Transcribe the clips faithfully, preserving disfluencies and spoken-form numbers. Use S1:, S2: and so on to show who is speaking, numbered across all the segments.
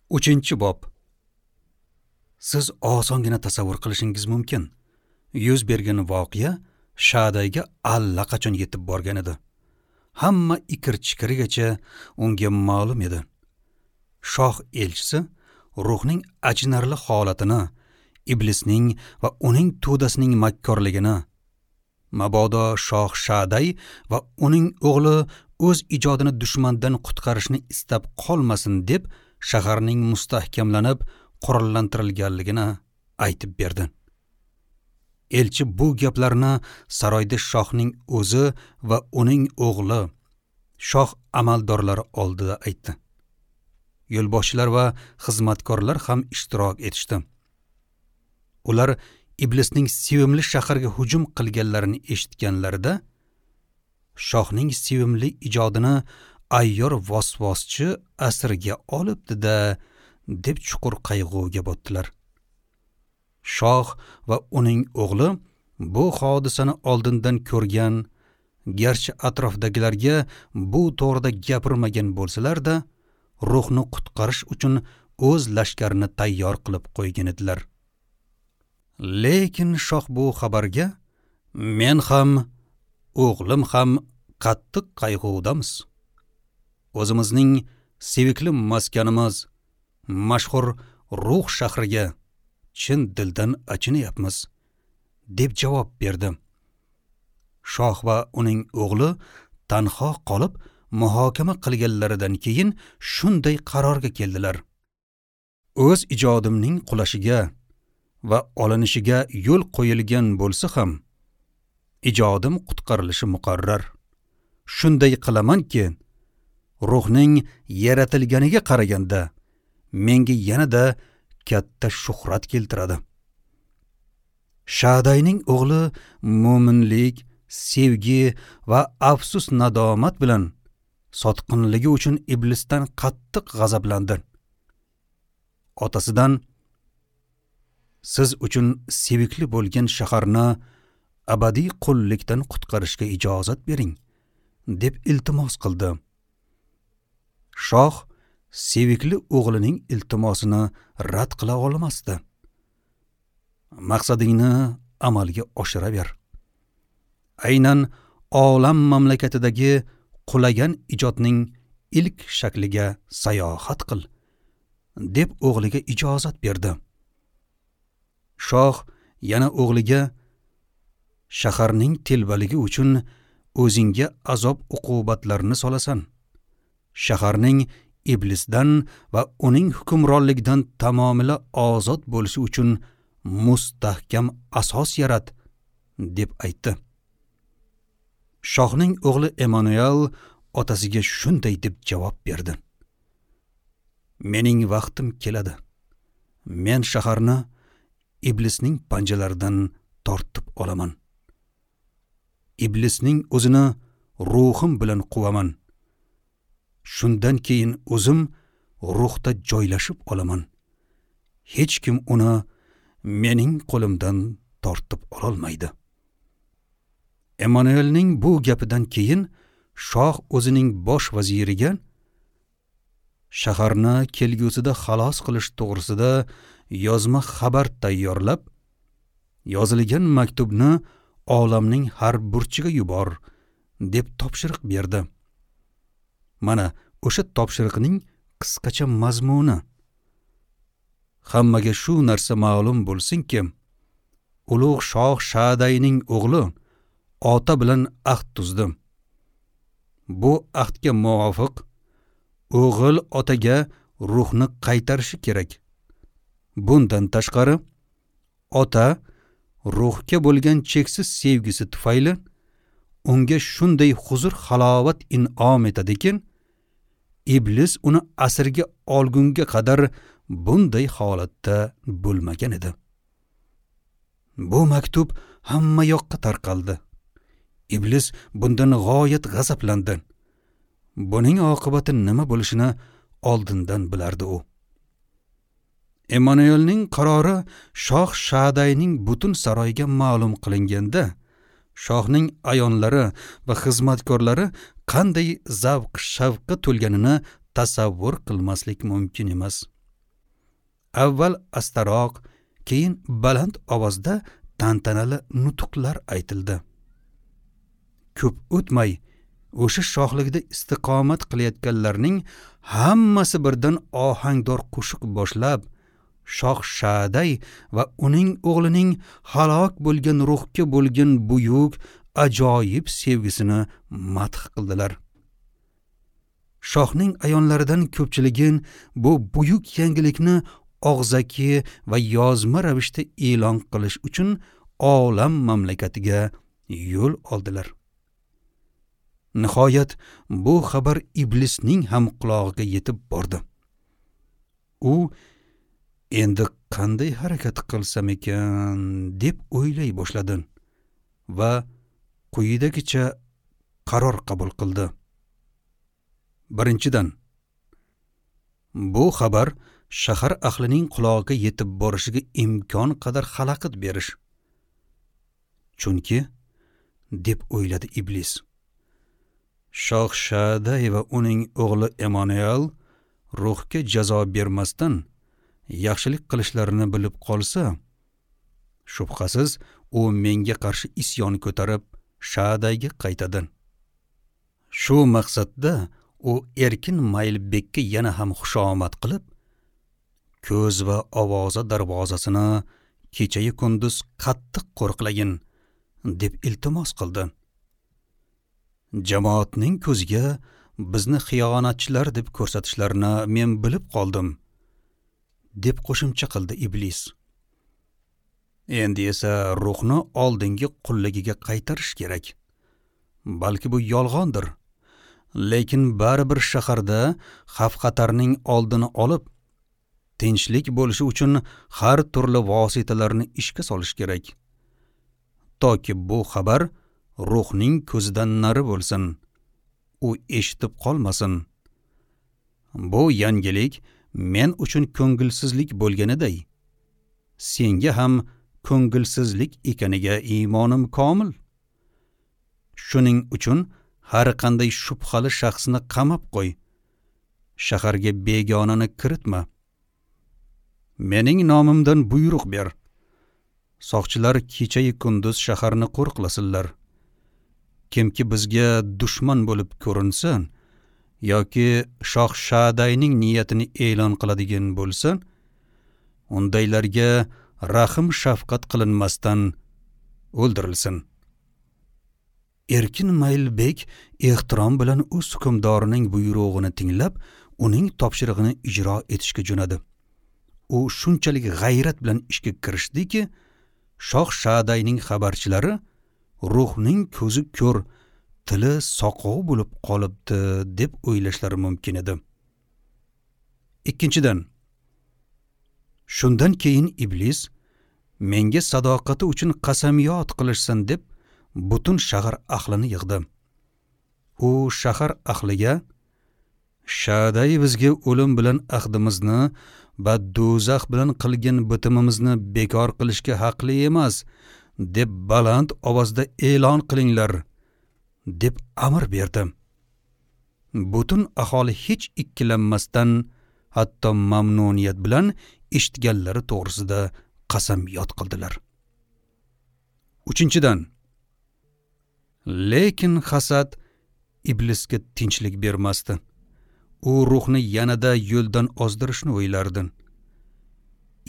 S1: Uchinchi bob. Siz osongina tasavvur qilishingiz mumkin. Yuz bergan voqea Shadayga allaqachon yetib borgan edi. Hamma ikir-chikirigacha unga ma'lum edi. Shoh elchisi ruhning achinarli holatini, iblisning va uning to'dasining makkorligini, mabodo shoh Shaday va uning o'g'li o'z ijodini dushmandan qutqarishni istab qolmasin deb shaharning mustahkamlanib qurollantirilganligini aytib berdi. Elchi bu gaplarni saroyda shohning o'zi va uning o'g'li, shoh amaldorlari oldida aytdi. Yo'lboshchilar va xizmatkorlar ham ishtirok etishdi. Ular iblisning sevimli shaharga hujum qilganlarini eshitganlarida shohning sevimli ijodini ayyor vasvaschi asirga olibdi-da deb chuqur qayg'uga botdilar. Shoh va uning o'g'li bu hodisani oldindan ko'rgan, garchi atrofdagilarga bu to'g'rida gapirmagan bo'lsalar-da, ruhni qutqarish uchun o'z lashkarini tayyor qilib qo'ygan edilar. Lekin shoh bu xabarga men ham, o'g'lim ham qattiq qayg'udamiz. O'zimizning sevikli maskanimiz, mashhur ruh shahriga chin dildan achinyapmiz, deb javob berdi. Shoh va uning o'g'li tanho qolib muhokama qilganlaridan keyin shunday qarorga keldilar. O'z ijodimning qulashiga va olinishiga yo'l qo'yilgan bo'lsa ham, ijodim qutqarilishi muqarrar. Shunday qilamanki, ruhning yaratilganiga qaraganda menga yanada katta shuhrat keltiradi. Shadayning o'g'li mo'minlik, sevgi va afsus nadomat bilan sotqinligi uchun iblisdan qattiq g'azablandi. Otasidan siz uchun sevikli bo'lgan shaharni abadiy qullikdan qutqarishga ijozat bering, deb iltimos qildi. Shoh sevikli o'g'lining iltimosini rad qila olmasdi. Maqsadingni amalga oshiraver. Aynan olam mamlakatidagi qulagan ijodning ilk shakliga sayohat qil, deb o'g'liga ijozat berdi. Shoh yana o'g'liga shaharning telbaligi uchun o'zingga azob uqubatlarni solasan. Shaharning iblisdan va uning hukmronligidan tamomila ozod bo'lishi uchun mustahkam asos yarat, deb aytdi. Shohning o'g'li Emanuel otasiga shunday deb javob berdi. Mening vaqtim keladi. Men shaharni iblisning panjalaridan tortib olaman. Iblisning o'zini ruhim bilan quvaman. Shundan keyin o'zim ruhda joylashib olaman. Hech kim uni mening qo'limdan tortib ololmaydi. Emanuelning bu gapidan keyin shoh o'zining bosh vaziriga shaharni kelgusida xalos qilish to'g'risida yozma xabar tayyorlab, yozilgan maktubni olamning har burchiga yubor, deb topshiriq berdi. Mana o'sha topshiriqning qisqacha mazmuni. Hammaga shu narsa ma'lum bo'lsinki, ulug' shoh Shadayning o'g'li ota bilan ahd tuzdi. Bu ahdga muvofiq o'g'il otaga ruhni qaytarishi kerak. Bundan tashqari, ota ruhga bo'lgan cheksiz sevgisi tufayli unga shunday huzur halovat in'om etadiki, iblis uni asirga olgunga qadar bunday holatda bo'lmagan edi. Bu maktub hamma yoqqa tarqaldi. Iblis bundan g'oyat g'azablandi. Buning oqibati nima bo'lishini oldindan bilardi u. Emanuelning qarori shoh Shadayning butun saroyiga ma'lum qilinganda, shohning ayonlari va xizmatkorlari qanday zavq shavqqa to'lganini tasavvur qilmaslik mumkin emas. Avval astaroq, keyin baland ovozda tantanali nutqlar aytildi. Ko'p o'tmay o'sha shohlikda istiqomat qilayotganlarning hammasi birdan ohangdor qo'shiq boshlab, Shoh Shaday va uning o'g'lining halok bo'lgan ruhga bo'lgan buyuk, ajoyib sevgisini madh qildilar. Shohning ayonlaridan ko'pchiligi bu buyuk yangilikni og'zaki va yozma ravishda e'lon qilish uchun olam mamlakatiga yo'l oldilar. Nihoyat bu xabar iblisning ham qulog'iga yetib bordi. U endi qanday harakat qilsam ekan deb o'ylay boshladi va quyidagicha qaror qabul qildi. Birinchidan, bu xabar shahar ahlining qulog'iga yetib borishiga imkon qadar xalaqit berish. Chunki, deb o'yladi iblis, Shoh Shaday va uning o'g'li Emanuel ruhga jazo bermasdan yaxshilik qilishlarini bilib qolsa, shubhasiz u menga qarshi isyon ko'tarib Shadayga qaytadi. Shu maqsadda u Erkin Maylbekka yana ham xushomad qilib, ko'z va ovoza darvozasini kechayu kunduz qattiq qo'riqlagin deb iltimos qildi. Jamoatning ko'ziga bizni xiyonatchilar deb ko'rsatishlarini men bilib qoldim, deb qo'shimcha qildi iblis. Endi esa ruhni oldingi qulligiga qaytarish kerak. Balki bu yolg'ondir, lekin baribir shaharda xavf-xatarning oldini olib, tinchlik bo'lishi uchun har turli vositalarni ishga solish kerak. Toki bu xabar ruhning ko'zidan nari bo'lsin, u eshitib qolmasin. Bu yangilik men uchun ko'ngilsizlik bo'lganiday, senga ham ko'ngilsizlik ekaniga iymonim komil. Shuning uchun har qanday shubhali shaxsni qamab qo'y. Shaharga begonani kiritma. Mening nomimdan buyruq ber. Soqchilar kechayu kunduz shaharni qo'riqlasinlar. Kimki bizga dushman bo'lib ko'rinsa yoki Shoh Shadayning niyatini e'lon qiladigan bo'lsa, undaylarga rahm shafqat qilinmasdan o'ldirilsin. Erkin Maylbek ehtirom bilan o'z hukmdorining buyrug'ini tinglab, uning topshirig'ini ijro etishga jo'nadi. U shunchalik g'ayrat bilan ishga kirishdiki, Shoh Shadayning xabarchilari ruhning ko'zi ko'r, tili soqov bo'lib qolibdi deb o'ylashlari mumkin edi. Ikkinchidan, shundan keyin iblis menga sadoqati uchun qasamyod qilishsin deb butun shahar ahlini yig'di. U shahar ahliga Shaday bizga o'lim bilan ahdimizni va do'zax bilan qilgan bitimimizni bekor qilishga haqli emas deb baland ovozda e'lon qilinglar deb amr berdi. Butun aholi hech ikkilanmasdan, hatto mamnuniyat bilan eshitganlari to'g'risida qasam yod qildilar. Uchinchidan, lekin hasad iblisga tinchlik bermasdi. U ruhni yanada yo'ldan ozdirishni o'ylardi.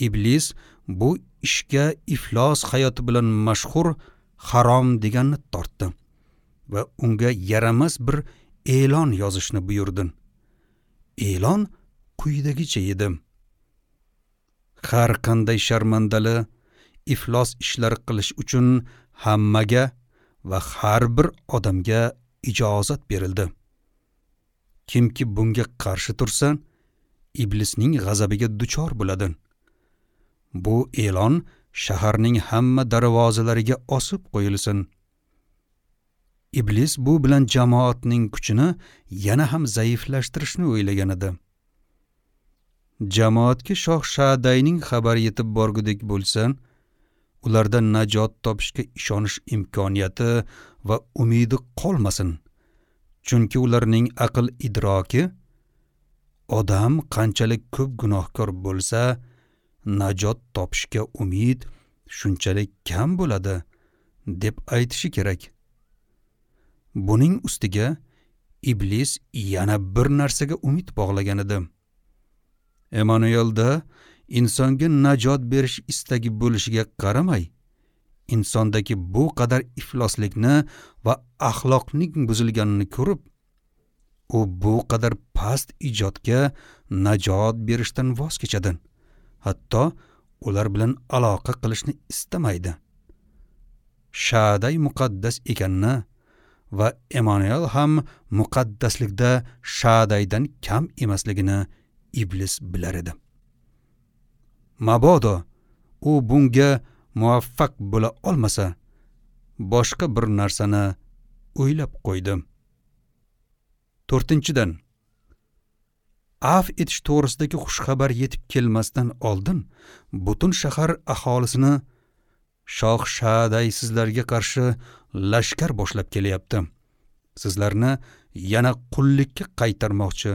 S1: Iblis bu ishga iflos hayoti bilan mashhur harom deganni tortdi va unga yaramas bir e'lon yozishni buyurdi. E'lon quyidagicha edi: har qanday sharmandali iflos ishlar qilish uchun hammaga va har bir odamga ijozat berildi. Kimki bunga qarshi tursa, iblisning g'azabiga duchor bo'ladi. Bu e'lon shaharning hamma darvozalariga osib qo'yilsin. Iblis bu bilan jamoatning kuchini yana ham zaiflashtirishni o'ylagan edi. Jamoatga Shoh Shadayning xabari yetib borgudek bo'lsa, ulardan najot topishga ishonish imkoniyati va umidi qolmasin. Chunki ularning aql idroki odam qanchalik ko'p gunohkor bo'lsa, najot topishga umid shunchalik kam bo'ladi deb aytishi kerak. Buning ustiga iblis yana bir narsaga umid bog'lagan edi. Emanuelda insonga najot berish istagi bo'lishiga qaramay, insondagi bu qadar ifloslikni va axloqning buzilganini ko'rib, u bu qadar past ijodga najot berishdan voz kechadi. Hatto ular bilan aloqa qilishni istamaydi. Shaday muqaddas ekanini va Emanuel ham muqaddaslikda Shadaydan kam emasligini iblis bilar edi. Mabodo u bunga muvaffaq bo'la olmasa, boshqa bir narsani o'ylab qo'ydi. To'rtinchidan, af etish to'g'risidagi xushxabar yetib kelmasdan oldin butun shahar aholisini Shoh Shaday sizlarga qarshi lashkar boshlab kelyapti. Sizlarni yana qullikka qaytarmoqchi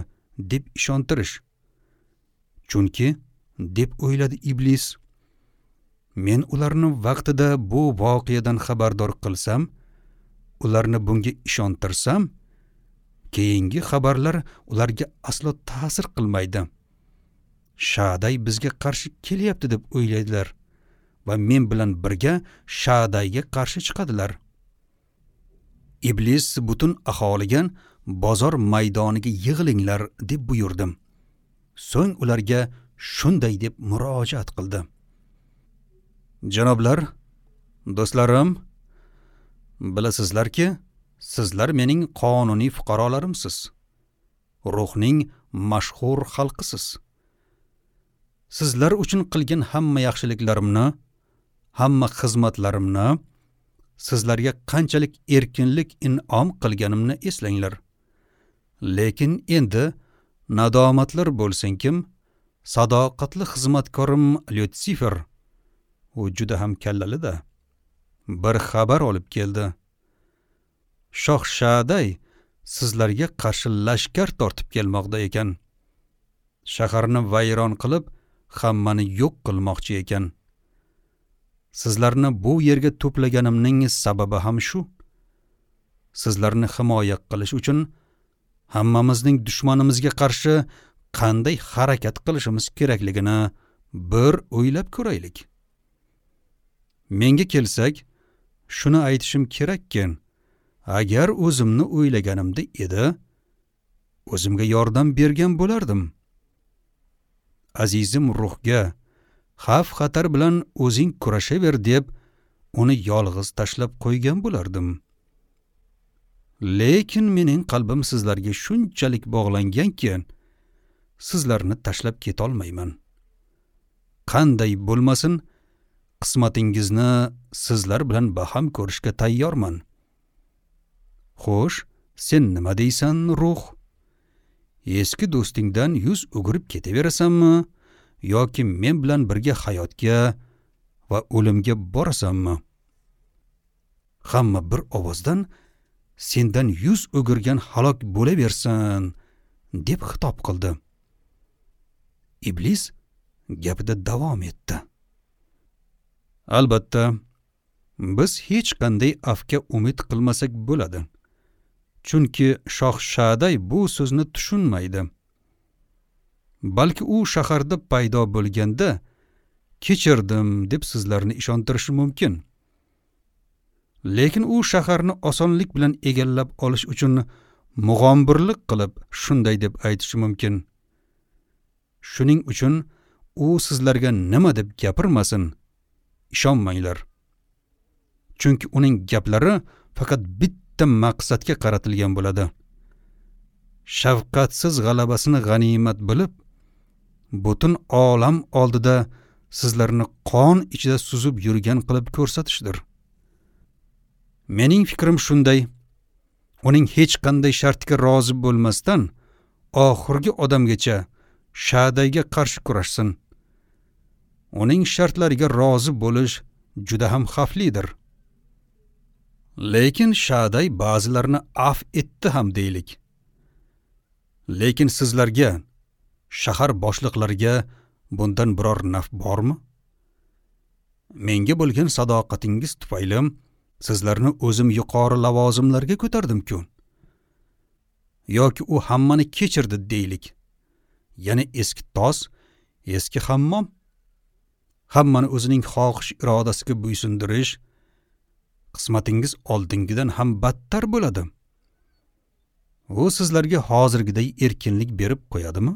S1: deb ishontirish. Chunki, deb o'yladi iblis, men ularni vaqtida bu voqeadan xabardor qilsam, ularni bunga ishontirsam, keyingi xabarlar ularga aslo ta'sir qilmaydi. Shaday bizga qarshi kelyapti deb o'ylaydilar va men bilan birga Shadayga qarshi chiqadilar. Iblis butun aholiga bozor maydoniga yig'ilinglar deb buyurdim. So'ng ularga shunday deb murojaat qildi. Janoblar, do'stlarim, bilasizlarki, sizlar mening qonuniy fuqarolarimsiz. Ruhning mashhur xalqisiz. Sizlar uchun qilgan hamma yaxshiliklarimni, hamma xizmatlarimni, sizlarga qanchalik erkinlik in'om qilganimni eslanglar. Lekin endi nadomatlar bo'lsinkim, sadoqatli xizmatkorim Lyutsifer, u juda ham kallali-da, bir xabar olib keldi. Shoh Shaday sizlarga qarshi lashkar tortib kelmoqda ekan. Shaharni vayron qilib, hammani yo'q qilmoqchi ekan. Sizlarni bu yerga to'plaganimning sababi ham shu. Sizlarni himoya qilish uchun hammamizning dushmanimizga qarshi qanday harakat qilishimiz kerakligini bir o'ylab ko'raylik. Menga kelsak, shuni aytishim kerakki, agar o'zimni o'ylaganimda edi, o'zimga yordam bergan bo'lardim. Azizim ruhga xavf xatar bilan o'zing kurashaver deb uni yolg'iz tashlab qo'ygan bo'lardim. Lekin mening qalbim sizlarga shunchalik bog'langanki, sizlarni tashlab ketolmayman. Qanday bo'lmasin, qismatingizni sizlar bilan baham ko'rishga tayyorman. Xo'sh, sen nima deysan, ruh? Eski do'stingdan yuz o'girib ketaverasanmi yoki men bilan birga hayotga va o'limga borasanmi? Hamma bir ovozdan sendan yuz o'girgan halok bo'laversin deb xitob qildi. Iblis gapida davom etdi. Albatta, biz hech qanday afga umid qilmasak bo'ladi. Chunki Shoh Shaday bu so'zni tushunmaydi. Balki u shaharda paydo bo'lganda kechirdim deb sizlarni ishontirishi mumkin. Lekin u shaharni osonlik bilan egallab olish uchun mug'ombirlik qilib shunday deb aytishi mumkin. Shuning uchun u sizlarga nima deb gapirmasin, ishonmanglar. Chunki uning gaplari faqat bitta maqsadga qaratilgan bo'ladi. Shafqatsiz g'alabasini g'animat bilib, butun olam oldida sizlarni qon ichida suzib yurgan qilib ko'rsatishdir. Mening fikrim shunday. Uning hech qanday shartga rozi bo'lmasdan oxirgi odamgacha Shadayga qarshi kurashsin. Uning shartlariga rozi bo'lish juda ham xavflidir. Lekin Shaday ba'zilarini af etdi ham deylik. Lekin sizlarga, shahar boshliqlariga bundan biror naf bormi? Menga bo'lgan sadoqatingiz tufayli sizlarni o'zim yuqori lavozimlarga ko'tardim-ku. Yoki u hammani kechirdi deylik. Yana eski tos, eski hammom. Hammani o'zining xohish irodasiga bo'ysundirish qismatingiz oldingidan ham battar bo'ladi. U sizlarga hozirgiday erkinlik berib qo'yadimi?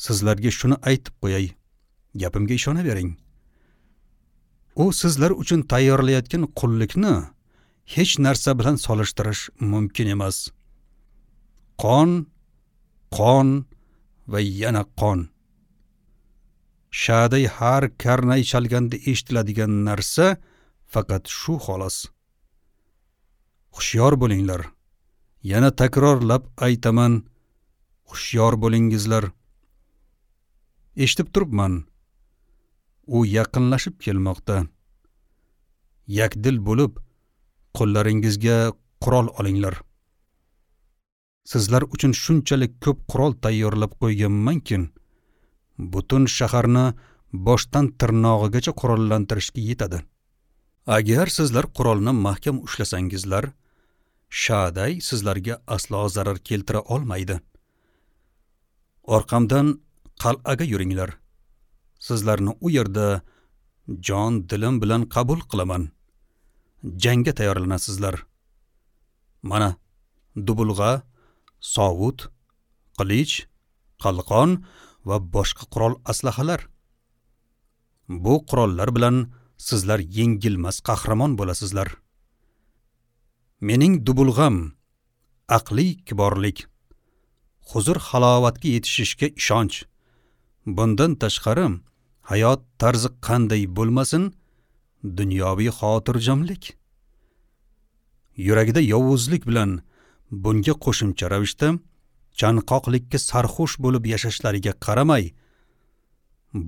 S1: Sizlarga shuni aytib qo'yay, gapimga ishonavering. U sizlar uchun tayyorlayotgan qullikni hech narsa bilan solishtirish mumkin emas. Qon, qon va yana qon. Shaday har karnay chalganda eshitiladigan narsa faqat shu xolos. Hushyor bo'linglar. Yana takrorlab aytaman, hushyor bo'lingizlar. Eshitib turibman. U yaqinlashib kelmoqda. Yakdil bo'lib, qo'llaringizga qurol olinglar. Sizlar uchun shunchalik ko'p qurol tayyorlab qo'yganmanki, butun shaharni boshdan tirnog'igacha qurollantirishga yetadi. Agar sizlar qurolni mahkam ushlasangizlar, Shaday sizlarga aslo zarar keltira olmaydi. Orqamdan qal'aga yuringlar. Sizlarni u yerda jon dilim bilan qabul qilaman. Jangga tayyorlanasizlar. Mana dubulg'a, sovut, qilich, qalqon va boshqa qurol aslahalar. Bu qurollar bilan sizlar yengilmas qahramon bo'lasizlar. Mening dubulg'am aqliy kiborlik, huzur halovatga yetishishga ishonch. Bundan tashqari hayot tarzi qanday bo'lmasin, dunyoviy xotirjamlik. Yuragida yovuzlik bilan bunga qo'shimcha ravishda chanqoqlikka sarxush bo'lib yashashlariga qaramay,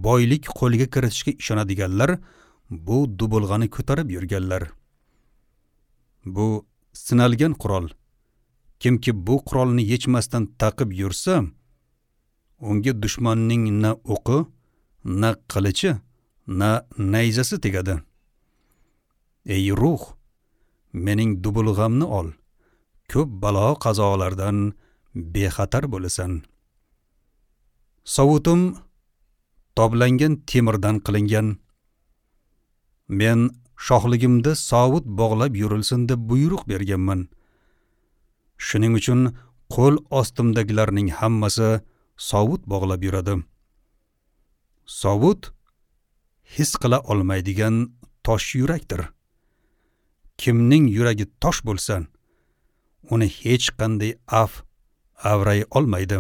S1: boylik qo'lga kiritishga ishonadiganlar bu dubulg'ani ko'tarib yurganlar. Bu sinalgan qurol. Kimki bu qurolni yechmasdan taqib yursa, unga dushmanning na o'qi, na qilichi, na nayzasi tegadi. Ey ruh, mening dubulg'amni ol. Ko'p balo qazolardan bexatar bo'lasan. Sovutim toblangan temirdan qilingan. Men shohligimda sovut bog'lab yurilsin deb buyruq berganman. Shuning uchun qo'l ostimdagilarning hammasi sovut bog'lab yuradi. Sovut his qila olmaydigan tosh yurakdir. Kimning yuragi tosh bo'lsa, uni hech qanday af avray olmaydi.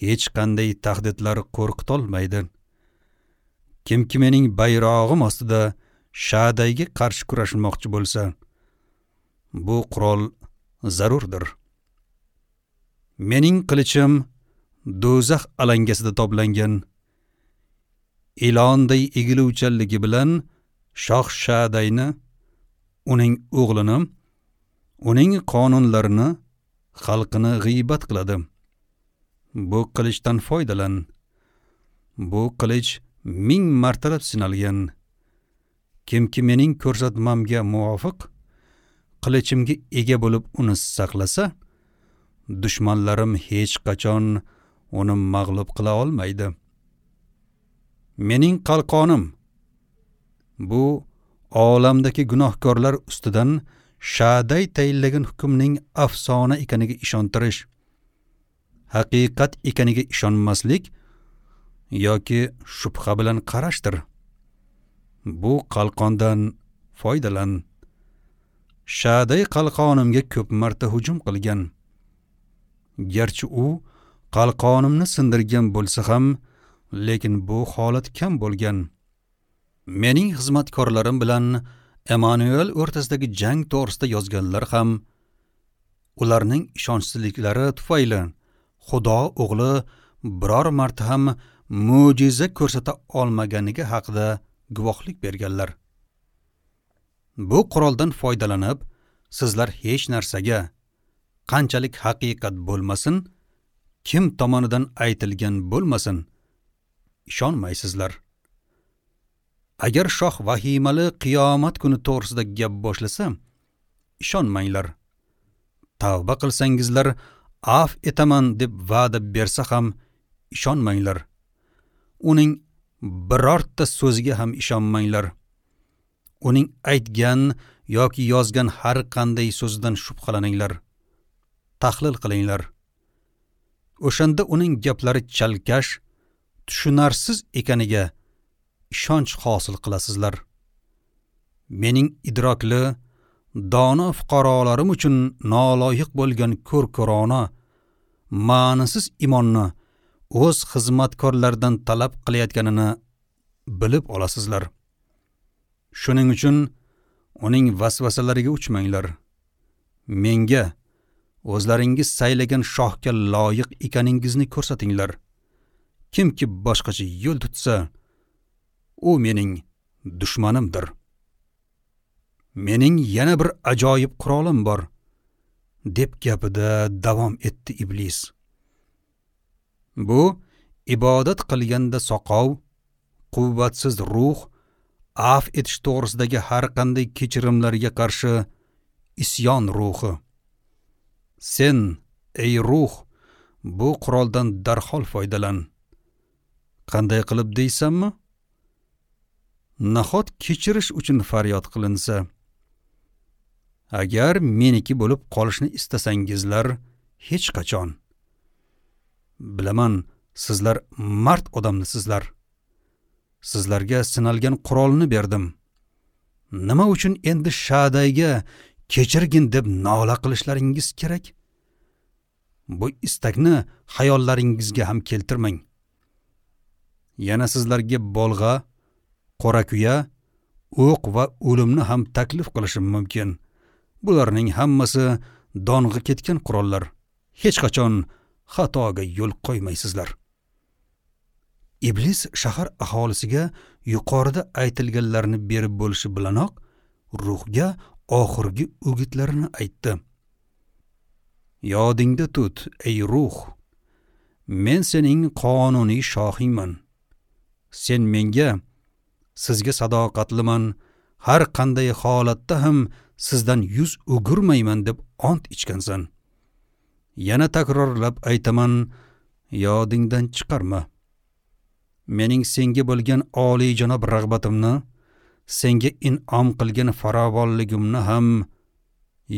S1: Hech qanday tahdidlar qo'rqitolmaydi. Kimki mening bayrog'im ostida Shadayga qarshi kurashmoqchi bo'lsa, bu qurol zarurdir. Mening qilichim do'zax alangasida toblangan. Ilonday egiluvchanligi bilan shoh Shadayni, uning o'g'lini, uning qonunlarini, xalqini g'iybat qiladi. Bu qilichdan foydalan. Bu qilich ming martalab sinalgan. Kimki mening ko'rsatmamga muvofiq qilichimga ega bo'lib uni saqlasa, dushmanlarim hech qachon uni mag'lub qila olmaydi. Mening qalqonim bu olamdagi gunohkorlar ustidan Shaday tayinlagan hukmning afsona ekaniga ishontirish, haqiqat ekaniga ishonmaslik yoki shubha bilan qarashdir. Bu qalqondan foydalan. Shaday qalqonimga ko'p marta hujum qilgan. Garchi u qalqonimni sindirgan bo'lsa ham, lekin bu holat kam bo'lgan. Mening xizmatkorlarim bilan Emanuel o'rtasidagi jang to'g'risida yozganlar ham ularning ishonchsizliklari tufayli Xudo o'g'li biror marta ham mo'jiza ko'rsata olmaganiga haqida guvohlik berganlar. Bu quroldan foydalanib, sizlar hech narsaga, qanchalik haqiqat bo'lmasin, kim tomonidan aytilgan bo'lmasin, ishonmaysizlar. Agar shoh vahimali qiyomat kuni to'g'risida gap boshlasa, ishonmanglar. Tavba qilsangizlar af etaman deb va'da bersa ham ishonmanglar. Uning birorta so'ziga ham ishonmanglar. Uning aytgan yoki yozgan har qanday so'zidan shubhalaninglar, tahlil qilinglar. O'shanda uning gaplari chalkash, tushunarsiz ekaniga ishonch hosil qilasizlar. Mening idrokli, dono fuqarolarim uchun noloyiq bo'lgan ko'r-ko'rona, ma'nisiz imonni o'z xizmatkorlaridan talab qilayotganini bilib olasizlar. Shuning uchun uning vasvasalariga uchmanglar. Menga o'zlaringiz saylagan shohga loyiq ekaningizni ko'rsatinglar. Kimki boshqacha yo'l tutsa, u mening dushmanimdir. Mening yana bir ajoyib qurolim bor, deb gapida davom etdi iblis. Bu ibodat qilganda soqov, quvvatsiz ruh af etish to'g'risidagi har qanday kechirimlarga qarshi isyon ruhi. Sen, ey ruh, bu quroldan darhol foydalan. Qanday qilib deysanmi? Nahot kechirish uchun faryod qilinsa? Agar meniki bo'lib qolishni istasangizlar, hech qachon. Bilaman, sizlar mard odamnisizlar. Sizlarga sinalgan qurolni berdim. Nima uchun endi Shadayga kechirgin deb nola qilishlaringiz kerak? Bu istakni xayollaringizga ham keltirmang. Yana sizlarga bolg'a, qorakuya, o'q va o'limni ham taklif qilishim mumkin. Bularning hammasi dong'i ketgan qurollar. Hech qachon xatoga yo'l qo'ymaysizlar. Iblis shahar aholisiga yuqorida aytilganlarni berib bo'lishi bilanoq ruhga oxirgi o'gitlarini aytdi. Yodingda tut, ey ruh, men sening qonuniy shohingman. Sen menga, sizga sadoqatliman, har qanday holatda ham sizdan yuz o'girmayman deb ont ichgansan. Yana takrorlab aytaman, yodingdan chiqarma. Mening senga bo'lgan oliyjanob rag'batimni, senga in'om qilgan farovonligimni ham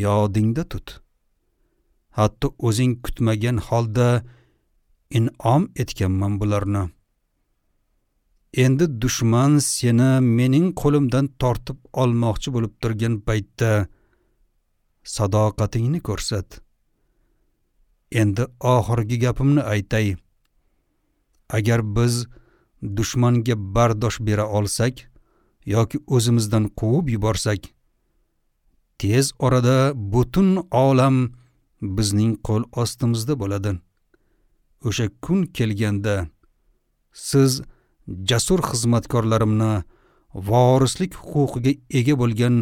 S1: yodingda tut. Hatto o'zing kutmagan holda in'om etganman bularni. Endi dushman seni mening qo'limdan tortib olmoqchi bo'lib turgan paytda sadoqatingni ko'rsat. Endi oxirgi gapimni aytay. Agar biz dushmanga bardosh bera olsak yoki o'zimizdan quvib yuborsak, tez orada butun olam bizning qo'l ostimizda bo'ladi. O'sha kun kelganda siz jasur xizmatkorlarimni vorislik huquqiga ega bo'lgan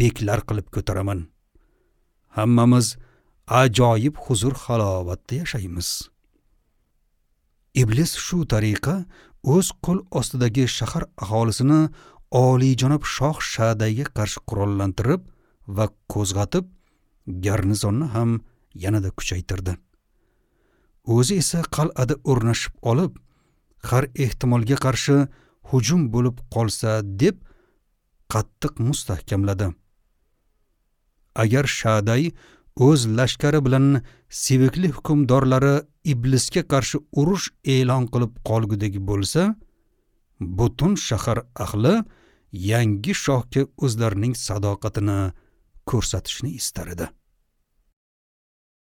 S1: beklar qilib ko'taraman. Hammamiz ajoyib huzur halovatda yashaymiz. Iblis shu tariqa o'z qo'l ostidagi shahar aholisini oliyjanob shoh Shadayga qarshi qurollantirib va qo'zg'atib, garnizonni ham yanada kuchaytirdi. O'zi esa qal'ada o'rnashib olib, har ehtimolga qarshi hujum bo'lib qolsa deb qattiq mustahkamladi. Agar Shaday o'z lashkari bilan sevikli hukmdorlari iblisga qarshi urush e'lon qilib qolgudek bo'lsa, butun shahar ahli yangi shohga o'zlarining sadoqatini ko'rsatishni istar edi.